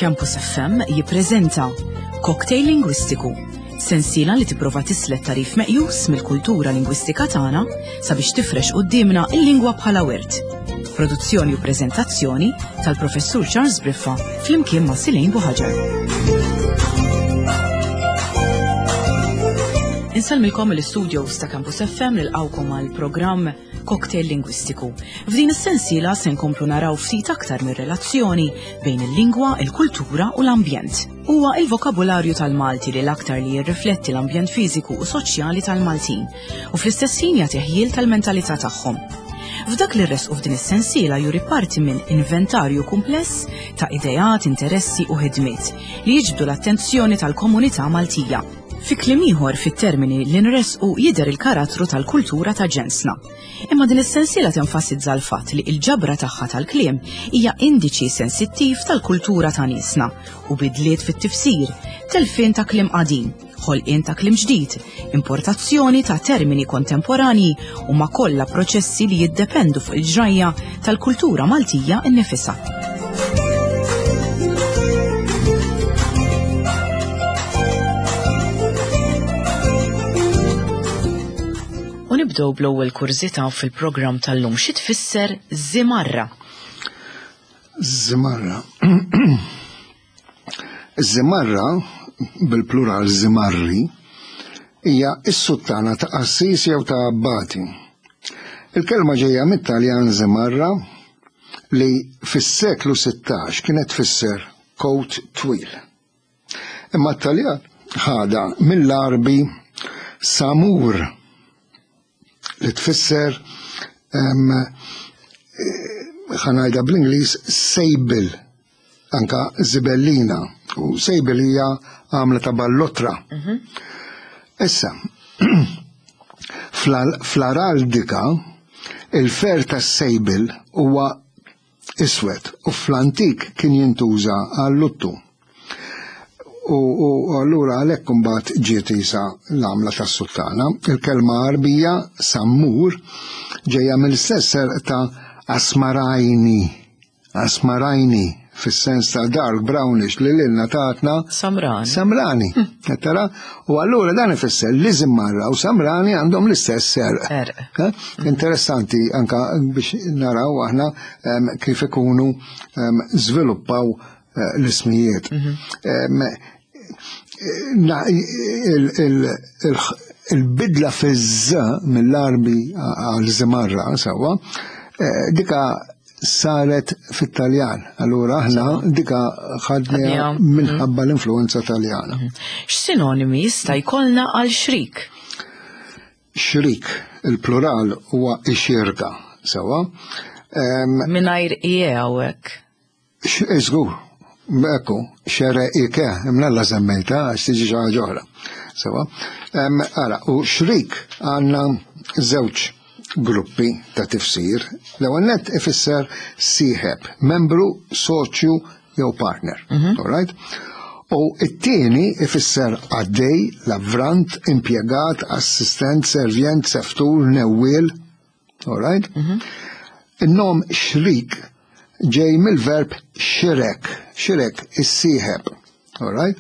Campus FM jippreżenta Cocktail Lingwistiku, sensiela li tipprova tislet tarif meqjus mill-kultura lingwistika tagħna sabiex tifrex quddiemna il-lingwa bħala wirt. Produzzjoni u preżentazzjoni tal-Professur Charles Briffa flimkien ma' Silejn Buħaġar. Insellmilkom mill-istudios ta' Campus FM nilqgħukom għal programm Cocktail Lingwistiku. F'din is-sensiela se nkomplu naraw ftit aktar mir-relazzjoni bejn il-lingwa, il-kultura u l-ambjent. Huwa il-vokabularju tal-Malti li l-aktar li jirrifletti l-ambjent fiżiku u soċjali tal-Maltin u fl-istess ħin jagħti ħjiel tal-mentalità tagħhom. F'dak li rresqu f'din is-sensiela juri parti minn inventarju kumpless ta' ideat, interessi u ħidmiet li jiġbdu l-attenzjoni tal-komunità Maltija. Fi kliem ieħor fit-termini li nressqu jidher il-karattru tal-kultura ta' ġensna. Imma din is-sensiela tenfasizza l-fatt li l-ġabra tagħha tal-kliem hija indiċi sensittiv tal-kultura ta' niesna u bidliet fit-tifsir, telfien ta' kliem qadim, ħolqien ta' kliem ġdid, importazzjoni ta' termini kontemporanji huma kollha proċessi li jiddependu fuq il-ġrajja tal-kultura Maltija nnifisha. U nibdew bl-ewwel kurżità fil-programm tal-lum xi tfisser żimarra? Żimarra. Żimarra, bil-plural żimarri, hija s-suttana ta' qassis jew ta' abbati. Il-kelma ġejja mit-Taljan żimarra li fis-seklu 16 kienet tfisser kowt twil. Imma t-Taljan ħadha mill-Għarbi samur li tfisser ħanajda bl-Ingliż sejbil anka zibellina u sejbil hija għamla ta' ballotra. Mhm. Issa, fl-araldika il-fer tas-sejbil huwa iswed u fl-antik kien jintuża għal-luttu. U, u allura għalhekk imbagħad ġiet isa l-għamla tas-suttana. Il-kelma Għarbija sammur ġejja mill-istess serq ta' asmarajni. Asmarajni fis-sens ta' dark brownish li lilna tatna Samrani. Samrani. Hm. Tara? U allura dan ifisser li Zimmarra u Samrani għandhom l-istess serq. Eh? Interessanti anka biex naraw aħna kif ikunu żviluppaw eh, l-ismijiet. Mhm. Il-bidla fiż mill-arbi għal Zimarra sewwa, eh, dika saret fit-Taljan. Allura aħna dika ħadniha minħabba mhm. l-influenza Taljana. Mhm. X'sinonimi jista' jkollna għal xrik? Xrik, il-plural huwa ixirka, sewwa. Mingħajr ie hawnhekk. Iżgur, ekku, xere ike, imnalla semmejta, għax tiġi xi ħaġa oħra. Sewa. Ara, u xrik għandna żewġ gruppi ta' tifsir. L-ewwel nett ifisser sieħeb, membru, soċju jew partner. Mhm. All right? U it-tieni ifisser għaddej, lavrant, impjegat, assistent, servjent, seftur, newwiel, All right? Mhm. In-nom xrik ġej mill-verb xirek, xirek issieħeb. All right?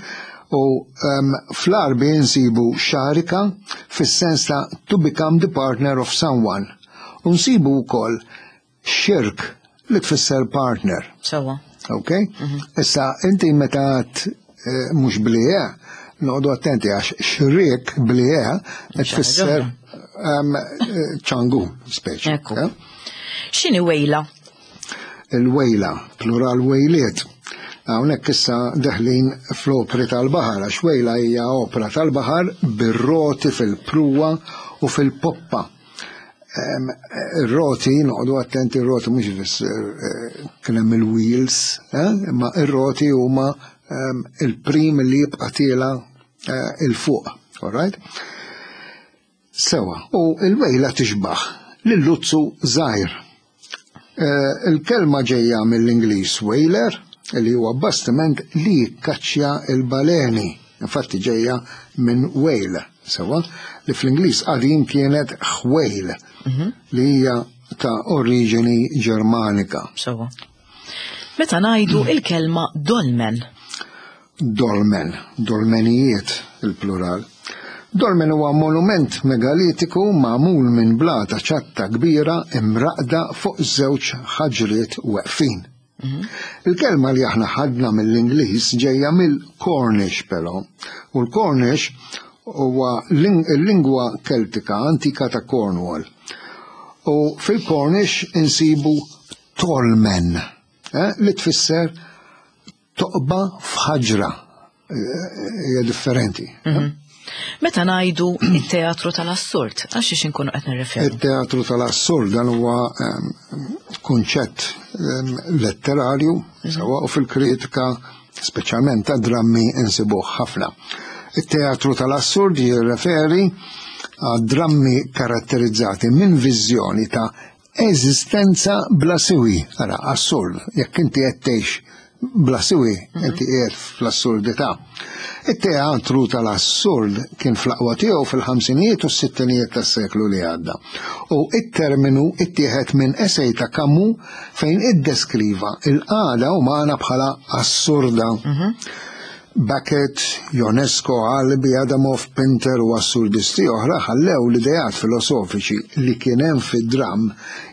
U um, fl-Arbi nsibu xarika fis-sens ta' to become the partner of someone. U nsibu wkoll xirk li tfisser partner. Sewa. Ok? Mhm. Issa, inti meta għat eh, mhux blieh, noqogħdu attenti għax xriek blieh tfisser ehm, eh, ċangu speċi. Eh? X'inhi wejla? Il-wejla, plural wejliet. Hawnhekk issa deħlin fl-opri tal-baħar, għax wejla hija opra tal-baħar bir-roti fil-pruwa u fil-poppa. Ir-roti, noqogħdu attenti ir-roti mhux ifisser eh, kien hemm il-wheels, eh, imma ir-roti huma il-prim li jibqa' tiela eh, il fuq, all right? Sewa, u il-wejla tixbaħ lil-luzzu żgħir. Eh, il-kelma ġejja mill-Ingliż whaler, li huwa bastiment li jikkaċċja il-baleni. Infatti ġejja minn whale, sewa, li fl-Ingliż qadim kienet whale, mhm. li hija ta' oriġini Ġermanika. Sewa. Meta ngħidu il-kelma dolmen. Dolmen, dolmenijiet il-plural. Dolmen huwa monument megalitiku magħmul minn blata ċatta kbira imraqda fuq żewġ ħaġriet weqfin. Mhm. Il-kelma li aħna ħadna mill-Ingliż ġejja mill-Cornish però. U l-Cornish huwa l-lingwa Keltika antika ta' Cornwall. U fil-Cornish insibu tolmen, eh, li tfisser toqba f'ħaġra eh, hija differenti. Eh? Mhm. Meta ngħidu it-teatru tal-assurd, għax xiex inkunu qed nirreferu? It-teatru tal-assurd dan huwa ehm, kunċett ehm, letterarju mhm. sewwa u fil-kritika speċjalment ta' drammi insibuh ħafna. It-teatru tal-assurd jirreferi għad drammi karatterizzati minn viżjoni ta' Eżistenza bla siwi, ara, assurd, jekk inti qed tgħix bla siwi, mhm. inti qiegħed fl-assurdità. It-teatru tal-assurd kien fl-aqwa tiegħu fil-ħamsinijiet u s-sittinijiet tas-seklu li għadda. U it-terminu ittieħed minn esej ta' Camus fejn iddeskriva il-qagħda umana bħala assurda. Mhm. Beckett, Ionesco, Albi, Adamov, Pinter u assurdisti oħra ħallew l-ideat filosofiċi li kien hemm fid-dramm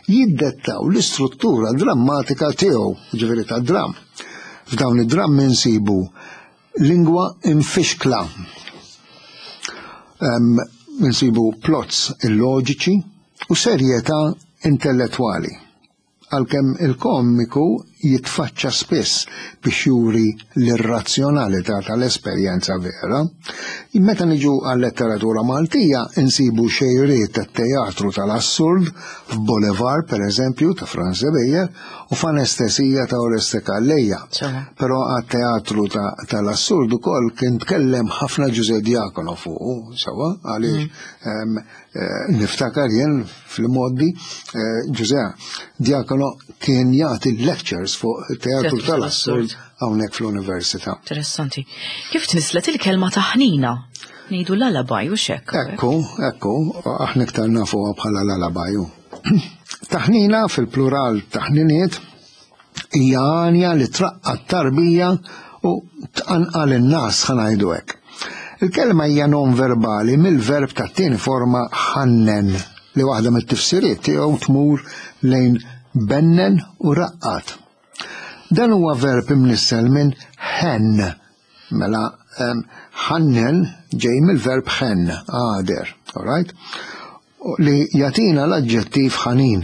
jiddettaw l-istruttura drammatika tiegħu, jiġifieri tad-dramm. F'dawn id-drammi nsibu lingwa imfixkla. Insibu plots illoġiċi u serjetà intellettwali. Għalkemm il-komiku jitfaċċa spiss biex juri l-irrazzjonalità tal-esperjenza vera, meta niġu għal-letteratura Maltija insibu xejriet tat-teatru tal-assurd f'Boulevard, pereżempju, ta' Frans Ebejer u f'Anestesija ta' Oreste Calleja. Però għat-teatru tal-assurd ukoll kien tkellem ħafna Ġużè Diacono fuqu, sewwa, għaliex mm. Eh, niftakar jien fil-moddi, eh, Ġużè Diacono kien jagħti lectures fuq teatru tal-assurd hawnhekk fl-università. Interessanti. Kif tnislet il-kelma taħnina? Ngħidu l-alabaj u xek. Ekku, ekku, aħna iktar nafuha bħala l-alabaju. Taħnina fil-plural taħniniet Hija għanja li traqqa t-tarbija u tqanqal in-nas ħa ngħidu hekk. Il-kelma hija non verbali mill-verb tat-tieni forma ħannen li waħda mit-tifsiriet tiegħu tmur lejn bennen u raqqad. Dan huwa verb imnissel minn ħenn. Mela ħannen ġej mill-verb ħenn, għader, all right? li jagħtina l-aġġettiv ħanin.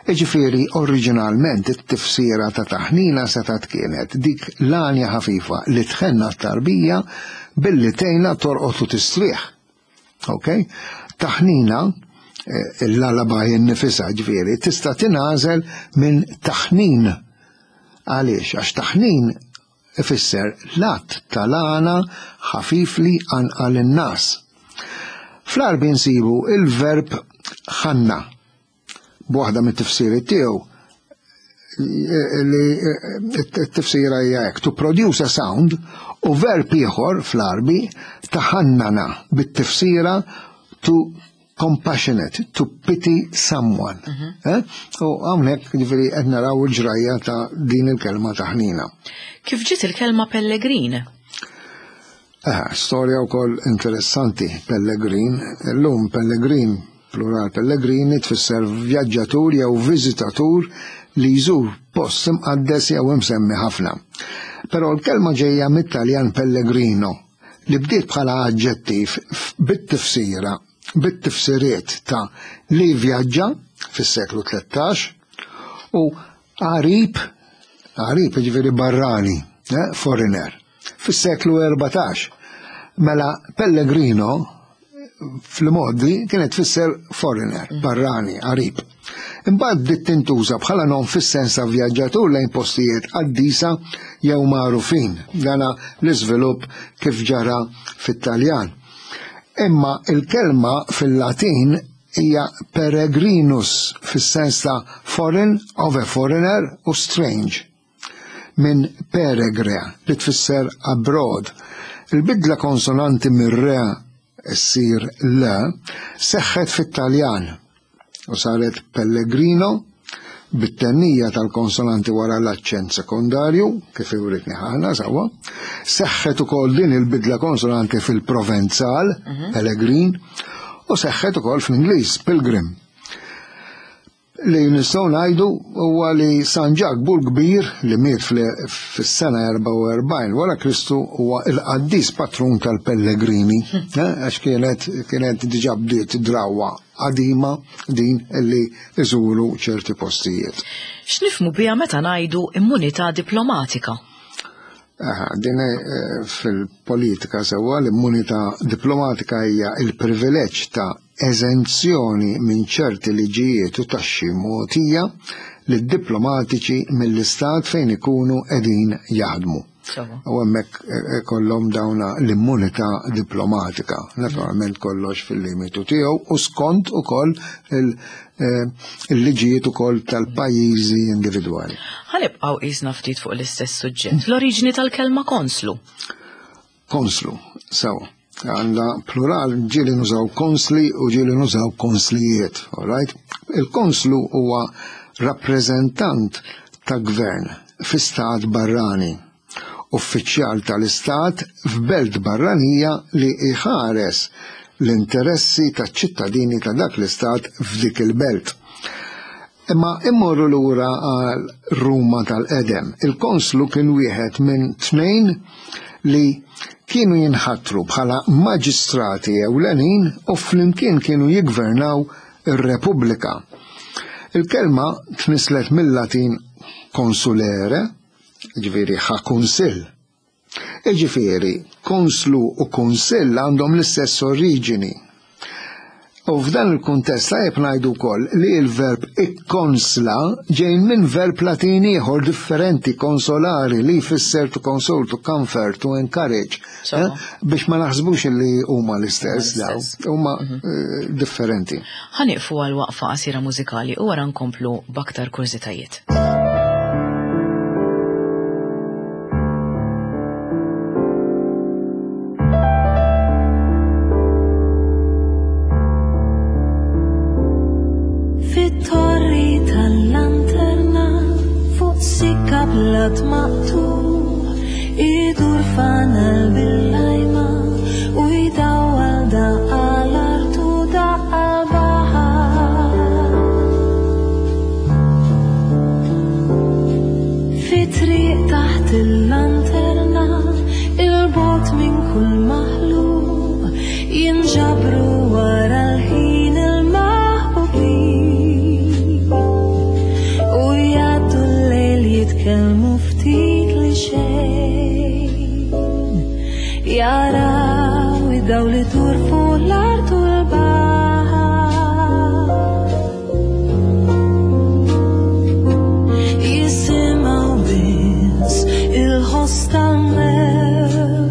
Jiġifieri oriġinalment it-tifsira ta' taħnina setgħet kienet dik l-għanja ħafifa li tħenn għat-tarbija billi tgħinha torqod u tistrieħ. Ok? Taħnina, eh, l-lullaby innifisha ġifieri, tista' tingħażel minn taħnin. Għaliex? Għax taħnin Ifisser l-att tal-għana ħafif li jqanqal in-ngħas. Fl-Għarbi nsibu il-verb ħanna b'waħda mit-tifsiriet tiegħu li t-tifsira hija hekk to produce a sound u verb ieħor fl-Għarbi taħannana bit-tifsira to compassionate, to pity someone. Mhm. Eh? U hawnhekk ġifieri qed naraw il-ġrajja ta' din il-kelma ta' ħnina. Kif ġiet il-kelma pellegrin? Eh, storja wkoll interessanti, pellegrin. Illum pellegrin, plural pellegrini, tfisser vjaġġatur jew viżitatur li jżur post imqaddes jew imsemmi ħafna. Però l-kelma ġejja mit-Taljan pellegrino, li bdiet bħala aġġettiv bit-tifsira bit-tifsiriet ta' li vjaġġa fis-seklu 13 u għarib, għarib jiġifieri barrani, eh, foreigner, fis-seklu 14. Mela Pellegrino fl-modi kienet tfisser foreigner, mm. barrani, għarib. Imbagħad bdiet tintuża bħala nom fis-sens ta' vjaġġatur lejn postijiet qaddisa jew magħrufin. Dana l-iżvilupp kif ġara fit-Taljan. Imma il-kelma fil-Latin hija peregrinus fis-sens ta' foreign, of a foreigner u strange. Minn peregre li tfisser abroad. Il-bidla konsonanti mir-re ssir l seħħet fit-Taljan u saret Pellegrino. bit-tennija tal-konsonanti wara l-aċċent sekondarju, kif uritni ħana sewwa. Seħħet ukoll din il-bidla konsonanti fil-Provenzal, Pellegrin, u seħħet ukoll fl-Ingliż, Pilgrim. Li nistgħu ngħidu huwa li San Ġakbu l-Kbir li miet fis-sena 44 wara Kristu huwa il-qaddis patrun tal-pellegrini, għax kienet kienet diġà bdiet drawwa qadima din li iżuru ċerti postijiet. X'nifhmu biha meta ngħidu immunità diplomatika? Din fil-politika sewwa l-immunità diplomatika hija il-privileġġ ta' eżenzjoni minn ċerti liġijiet u taxxi mogħtija lid-diplomatiċi mill-istat fejn ikunu qegħdin jaħdmu. U hemmhekk kollhom dawna l-immunità diplomatika. Naturalment kollox fil-limitu tiegħu u skont ukoll il-liġijiet ukoll tal-pajjiżi individwali. Ħa nibqgħu qisna ftit fuq l-istess suġġett. L-oriġini tal-kelma konslu. Konslu, sew. Għandha plural ġieli nużaw konsli u ġieli nużaw konslijiet, all right? Il-konslu huwa rappreżentant ta' gvern fi stat barrani, uffiċjal tal-istat f'belt barranija li jħares l-interessi taċ-ċittadini ta' dak l-istat f'dik il-belt. Imma immorru lura għal Ruma tal-qedem. Il-konslu kien wieħed minn tnejn li kienu jinħatru bħala maġistrati ewlenin u flimkien kienu jiggvernaw ir-Repubblika. Il-kelma tnisslet mill-Latin consulere, ġifieri ħa kunsill. Jiġifieri, konslu u kunsill għandhom l-istess oriġini. U f'dan il-kuntest tajjeb ngħidu wkoll li l-verb ikkonsla ġej minn verb Latin ieħor differenti consolari li jfisser to console, to comfort, to encourage. Eh? Biex ma naħsbux li huma l-istess daw, huma mhm. eh, differenti. Ħaniqfu għal waqfa qasira mużikali u wara nkomplu b'aktar kurżitajiet. Fit-torri tal-lanterna fuq sikka blat maqtugħ idur fanal bil-lajma u jdawwal daqqa l-art u daqqa l-baħar. Fi triq taħt il-lanterna, il-bogħod minn kull maħluq, jinġabru wara l-ħin il-maħbubin. U jgħaddu l-lejl jitkellmu ftit li xejn. Jaraw id-dawl idur fuq l-art u l-baħar. Jisimgħu biss il-ħoss tal-mewġ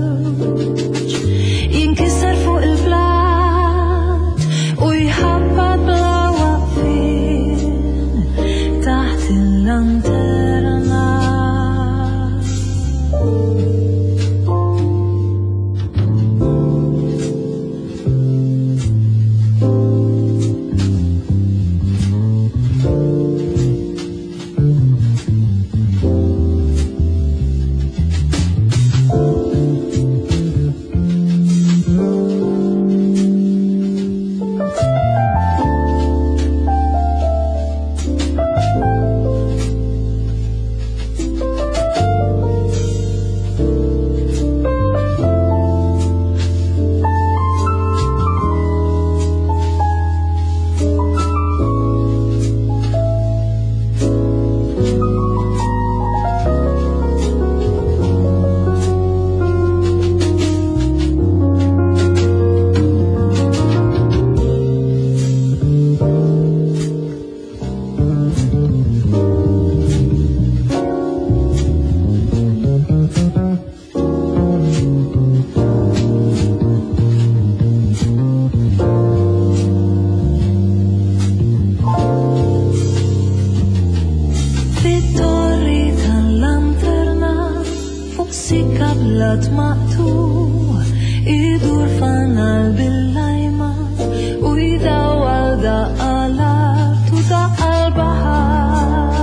jinkisser fuq il-blat u jħabbat bla waqfien taħt il-lanterna. Fit-torri tal-lanterna fuq sikka blat maqtugħ idur fanal bil-lajma u jdawwal daqqa l-art u daqqa l-baħar.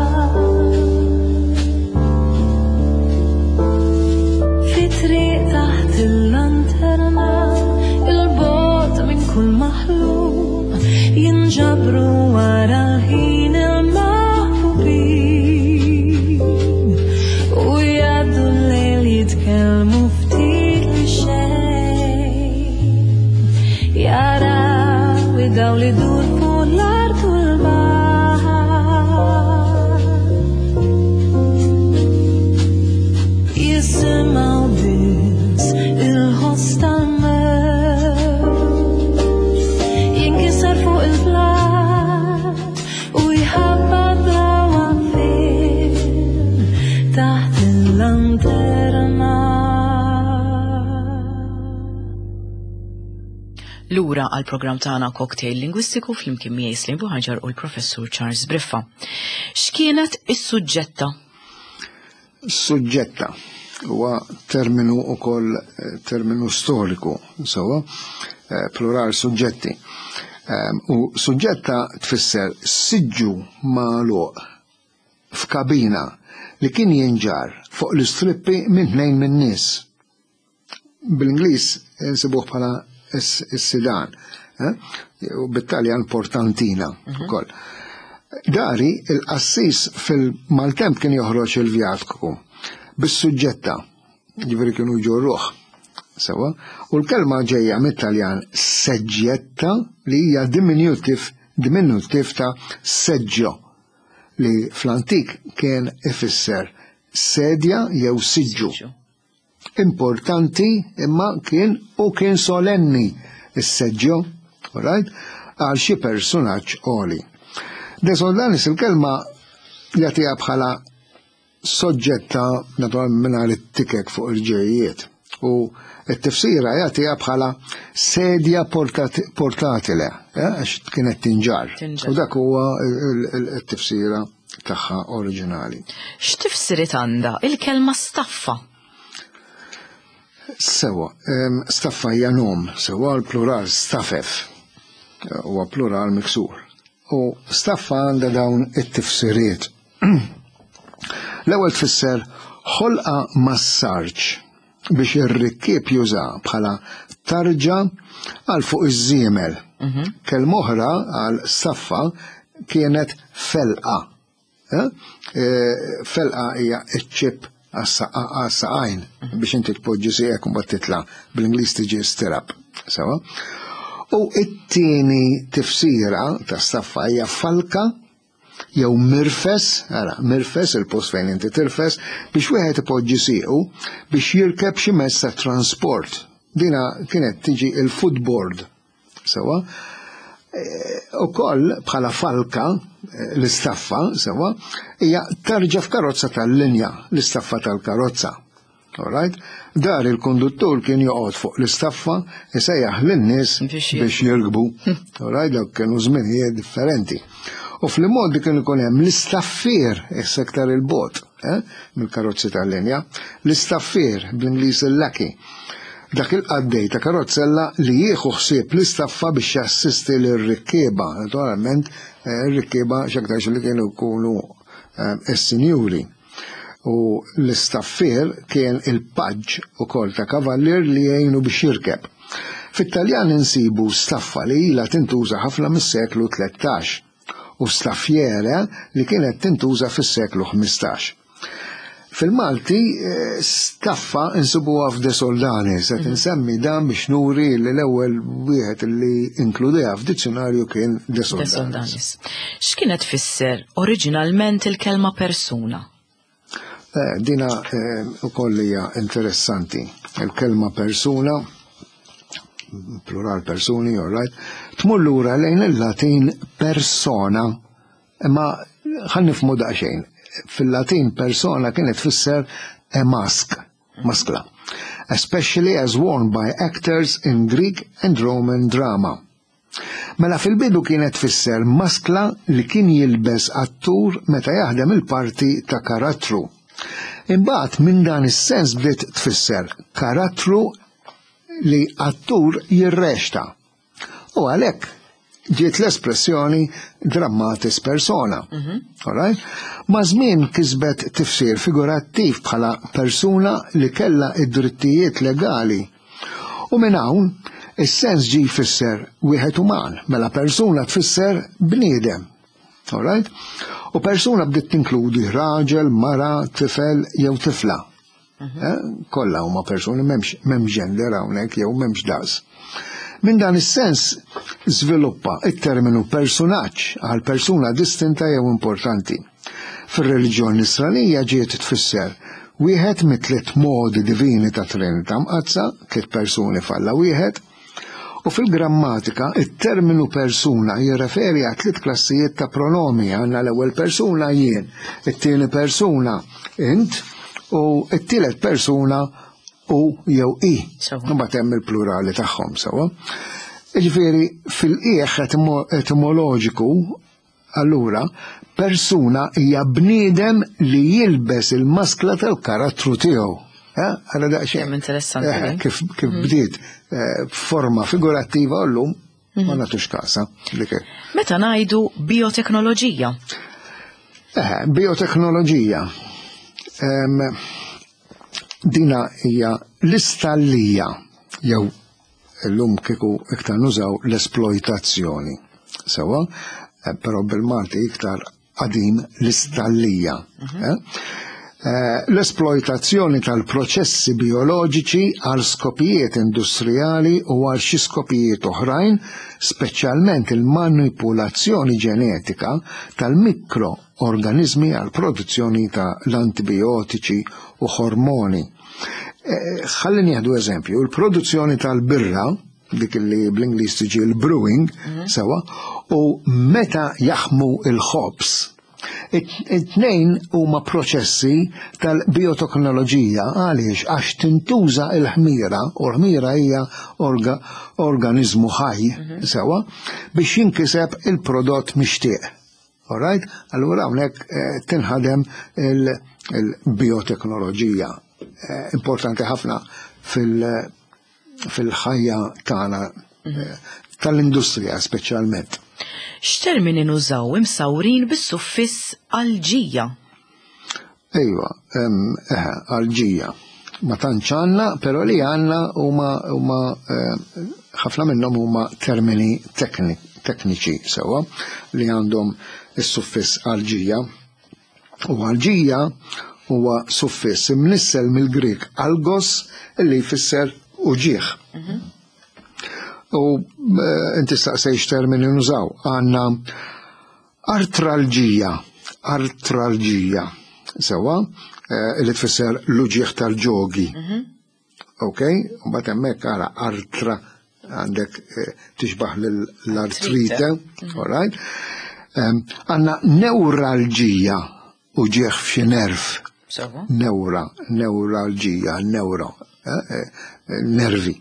Lura għal programm tagħna Cocktail Lingwistiku flimkien miegħi Slim Buħaġar u l-Professur Charles Briffa. X'kienet is-suġġetta? Suġġetta huwa terminu ukoll eh, terminu storiku, sewwa, eh, plural suġġetti. Ehm, u suġġetta tfisser siġġu magħluq f'kabina li kien jinġar fuq l-istrippi minn tnejn minn nies. Bl-Ingliż insibuh bħala s-sidan, eh? u bit-Taljan portantina mhm. ukoll. Dari il-qassis fil-maltemp kien joħroġ il-vjatku bis-suġġetta, ġifieri kienu jġorruh. Sewa, u l-kelma ġejja mit-Taljan seġġetta li hija diminutiv diminutiv ta' seġġo li fl-antik kien ifisser sedja jew siġġu. Importanti imma kien u kien solenni is-seġġo, right? Għal xi persunaġġ għoli. De Soldanis il-kelma jagħtiha bħala soġġetta naturalment mingħajr it-tikek fuq il-ġejjiet u t-tifsira jagħtiha bħala sedja portatile, eh, għax kienet tinġar. U dak huwa t-tifsira tagħha oriġinali. X'tifsiriet għandha il-kelma staffa? Sewa, staffa hija nom, sewa l-plural stafef, huwa plural miksur. U staffa għandha dawn it-tifsiriet. L-ewwel tfisser ħolqa mas-sarġ biex ir-rikkieb juża bħala tarġa għal fuq iż-żiemel. Mhm. Kelma oħra għal saffa kienet felqa. Eh? Eh, felqa hija ċ-ċip għas-saqajn mhm. biex inti tpoġġi sieqek u mbagħad titla' bl-Ingliż tiġi stirap. Sewa. U it-tieni tifsira ta' saffa hija falka jew mirfes, ara, mirfes, il-post fejn inti tirfes, biex wieħed ipoġġi siequ biex jirkeb xi mezz ta' transport. Dina kienet tiġi il-footboard. Sewa. E, u koll bħala falka e, l-istaffa, sewa, hija tarġa f'karozza tal-linja, l-istaffa tal-karozza. Alright? Dar il-konduttur kien joqgħod fuq l-istaffa isejjaħ lin-nies biex jirkbu. Alright, dawk kienu żminijiet differenti. U fl-modi kien ikun hemm l-istaffier is-sektar il-bot eh, mill-karozzi tal-linja, l-istaffier bl-Ingliż il-lackey. Dak il-qaddej ta' karozzella li jieħu ħsieb l-istaffa biex jassisti lir-rikkieba, naturalment eh, ir-rikkieba x'aktarx li kienu jkunu eh, is-sinjuri. U l-istaffier kien il-paġġ ukoll ta' kavallier li jgħinu biex jirkeb. Fit-Taljan insibu staffa li ilha tintuża ħafna mis-seklu 13 u staffiere li kienet tintuża fis-seklu 15. Fil-Malti eh, staffa insibuha f'De Soldani, se mhm. tinsemmi dan biex nuri li l-ewwel wieħed li inkludeha f'dizzjonarju kien De Soldanis. X'kienet tfisser oriġinalment il-kelma persuna? Eh, dina eh, ukoll hija interessanti. Il-kelma persuna, plural persuni, all right, tmur lura lejn il-Latin persona, imma ħan nifhmu daqsxejn. Fil-Latin persona kienet tfisser a mask, maskla, especially as worn by actors in Greek and Roman drama. Mela fil-bidu kienet tfisser maskla li kien jilbes attur meta jaħdem il-parti ta' karattru. Imbagħad minn dan is-sens bdiet tfisser karattru li attur jirrexta. U għalhekk ġiet l-espressjoni dramatis persona. Mm -hmm. Ma żmien kisbet tifsir figurattiv bħala persuna li kella id-drittijiet legali U minn hawn, is-sens ġie jfisser wieħed uman, mela persuna tfisser bniedem. Alright? U persuna bdiet tinkludi raġel, mara, tifel jew tifla. Mhm. Eh? Kollha huma persuni m'hemmx gender hawnhekk jew m'hemmx daqs. Minn dan is-sens żviluppa it-terminu persunaġġ għal persuna distinta jew importanti. Fir-reliġjon Nisranija ġiet tfisser wieħed mit-tliet modi divini ta' Trinità Mqaddsa, tliet persuni f'Alla wieħed, u fil-grammatika it-terminu persuna jirreferi għal tliet klassijiet ta' pronomi, għandna l-ewwel persuna jien, it-tieni persuna int u t-tielet persuna u jew i. Imbagħad hemm il-plurali tagħhom sewwa. Ġifieri fil-qiegħ etimoloġiku allura persuna hija bniedem li jilbes il-maskla tal-karattru tiegħu. Eh, għala daqsxejn. Interessanti. Eh, kif kif mhm. bdiet eh, forma figurattiva u llum ma mhm. nagħtux kasa. Meta ngħidu bioteknoloġija? Eh, bioteknoloġija. Dina hija l-istallija jew Illum kieku iktar nużaw l-esploitazzjoni. Sewa, eh, però bil-Malti iktar qadim l-istallija. Mhm. Eh? Eh, l-esploitazzjoni tal-proċessi bioloġiċi għal skopijiet industrijali u għal xi skopijiet oħrajn, speċjalment il-manipulazzjoni ġenetika tal-mikroorganizmi għal produzzjoni ta' l-antibiotiċi u hormoni. Eh, ħalli nieħdu eżempju, il-produzzjoni tal-birra, dik li bl-Ingliż tiġi l-brewing, mhm. sewa, u meta jaħmu il-ħobs, it-tnejn huma proċessi tal-bioteknoloġija għaliex għax tintuża il-ħmira, u l-ħmira hija orga, organizmu ħaj, mhm. sewa, biex jinkiseb il-prodott mixtieq. All right? Allura hawnhekk eh, tinħadem il-bioteknoloġija. Eh, importanti ħafna fil-ħajja tagħna mhm. eh, tal-industrija speċjalment. X'termini nużaw imsawrin bis-suffiss alġija? Ejwa, eħe, alġija. Ma tantx għandna, però li għandna huma huma ħafna minnhom huma termini tekniċi sewwa li għandhom is-suffiss alġija. U alġija huwa suffiss imnissel mill-Grieg algos li jfisser uġigħ. Mhm. U eh, inti staqsejx termini nużaw. Għandna Artralġija, artralġija, sewa, eh, li tfisser l-uġieħ tal-ġogi. Mhm. Ok, u bat hemmhekk ara artra għandek eh, tixbaħ l-artrite, mhm. all right? Għanna neuralġija, uġieħ f'xi nerv. Neura, neuralġija, neuro, eh, eh, nervi.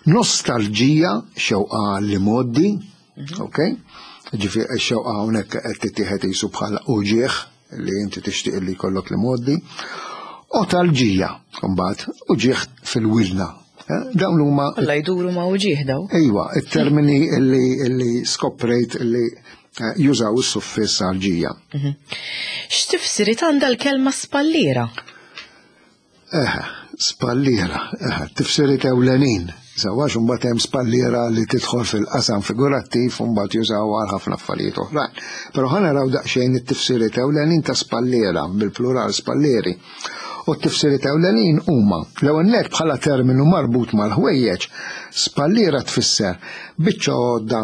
Nostalġija, xewqa li moddi, mhm. ok? Ġifi xewqa hawnhekk qed tittieħed jisu bħala uġieħ li inti tixtieq li jkollok li moddi. Otalġija, mbagħad uġieħ fil-wilna. Eh, dawn huma. Alla jduru ma' uġieħ daw. Ejwa, it-termini li skoprejt li Eh, jużaw is-suffiss għalġija. Mhm. X'tifsiriet għandha l-kelma spalliera? Eh, spalliera, eh, tifsiriet ewlenin. Sawax mbagħad hemm spalliera li tidħol fil-qasam figurattiv u mbagħad jużaw għal ħafna affarijiet oħrajn. Però ħa naraw daqsxejn it-tifsiriet ewlenin ta' spalliera bil-plural spallieri. U t-tifsiriet ewlenin huma l-ewwel nett bħala terminu marbut mal-ħwejjeġ, spalliera tfisser biċċa għodda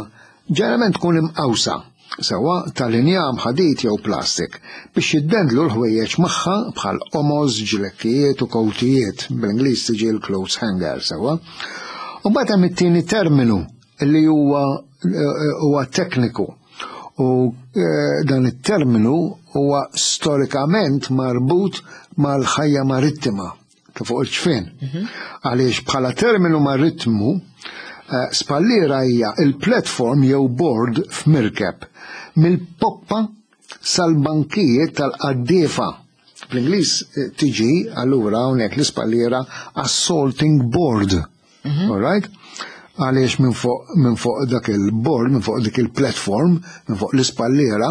Ġeneralment tkun imqawsa, sewwa tal-injam, ħadid jew plastik, biex jiddendlu l-ħwejjeġ magħha bħal qomoż, ġlekkijiet u kowtijiet, bl-Ingliż tiġi l-clothes hanger, sewwa. U mbagħad hemm it-tieni terminu li huwa huwa tekniku. U eh, dan it-terminu huwa storikament marbut mal-ħajja marittima. ta' fuq il-ċfien. Mhm. Għaliex bħala terminu maritmu, eh, spalliera hija il-platform jew board f'mirkeb mill-poppa sal-bankijiet tal-qaddiefa. Bl-Ingliż eh, tiġi allura hawnhekk l-ispalliera assaulting board. Mhm. All right? Għaliex minn fuq min fuq dak il-board, minn fuq dik il-platform, minn fuq l-ispalliera,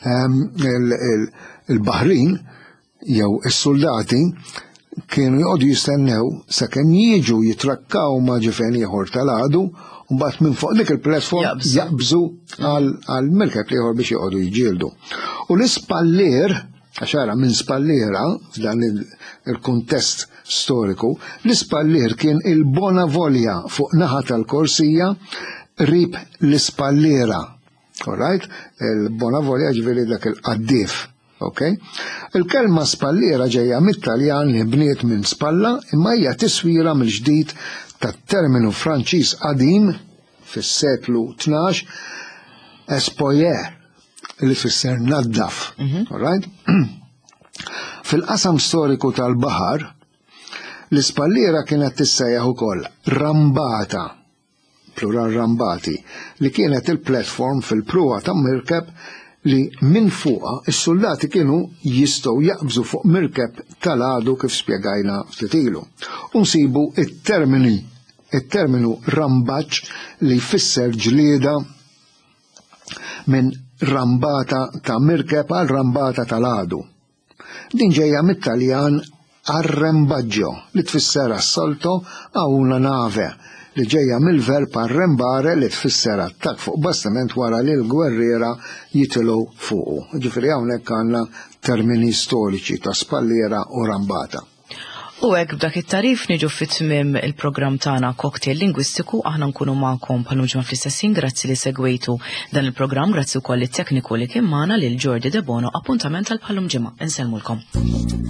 ehm, il-Baħrin jew is-suldati kienu joqogħdu jistennew sakemm jiġu jitrakkaw ma' ġifen ieħor tal-għadu u mbagħad minn fuq dik il-platform jaqbżu għal mirkeb ieħor biex joqogħdu jiġġieldu. U l-ispallier, għax ara minn spalliera f'dan il-kuntest storiku, l-ispallier kien il-bona volja fuq naħa tal-korsija rib l-ispalliera. All right? Il-bona volja ġifieri dak il-qaddif. Ok? Il-kelma spalliera ġejja mit-Taljan li bniet minn spalla imma hija tiswira mill-ġdid tat-terminu Franċiż qadim fis-seklu 12 espoyer li fisser naddaf. Mhm. All right? Fil-qasam storiku tal-baħar, l-ispalliera kienet tissejjaħ ukoll rambata. plural rambati, li kienet il-platform fil-pruwa ta' mirkeb li minn fuqha s-suldati kienu jistgħu jaqbżu fuq mirkeb tal-għadu kif spjegajna ftit ilu. U nsibu it-termini it-terminu rambaġġ li jfisser ġlieda minn rambata ta' mirkeb għal rambata tal-għadu. Din ġejja mit-Taljan arrembaggio li tfisser assalto a una nave li ġejja mill-verb arrembare li tfisser attakk fuq bastiment wara li l-gwerriera jitilgħu fuqu. Ġifieri hawnhekk għandna termini storiċi ta' spalliera u rambata. U hekk b'dak it-tarif niġu fit-tmiem il-programm tagħna Cocktail Lingwistiku aħna nkunu magħkom bħal ġimgħa fl-istess ħin grazzi li segwejtu dan il-programm grazzi wkoll it-tekniku li kien magħna lil Jordi Debono appuntament għal bħalum ġimgħa. Insellmulkom.